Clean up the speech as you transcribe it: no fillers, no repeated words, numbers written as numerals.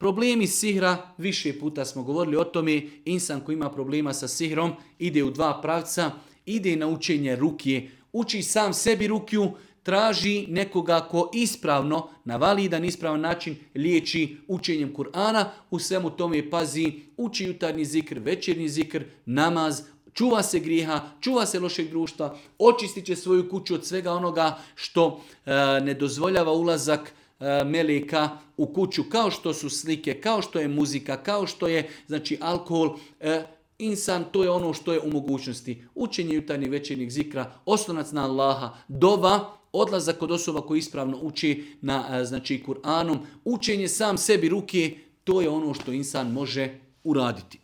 Problemi sihra, više puta smo govorili o tome, insan koji ima problema sa sihrom ide u dva pravca, ide na učenje rukije, uči sam sebi rukiju, traži nekoga ko ispravno, na validan ispravan način liječi učenjem Kur'ana, u svemu tome pazi, uči jutarnji zikr, večernji zikr, namaz, čuva se grijeha, čuva se lošeg društva, očistit će svoju kuću od svega onoga što ne dozvoljava ulazak meleka u kuću, kao što su slike, kao što je muzika, kao što je alkohol. Insan, to je ono što je u mogućnosti. Učenje jutarnjeg večernjeg zikra, oslonac na Allaha, dova, odlazak kod osoba koji ispravno uči na Kur'anom, učenje sam sebi ruke, to je ono što insan može uraditi.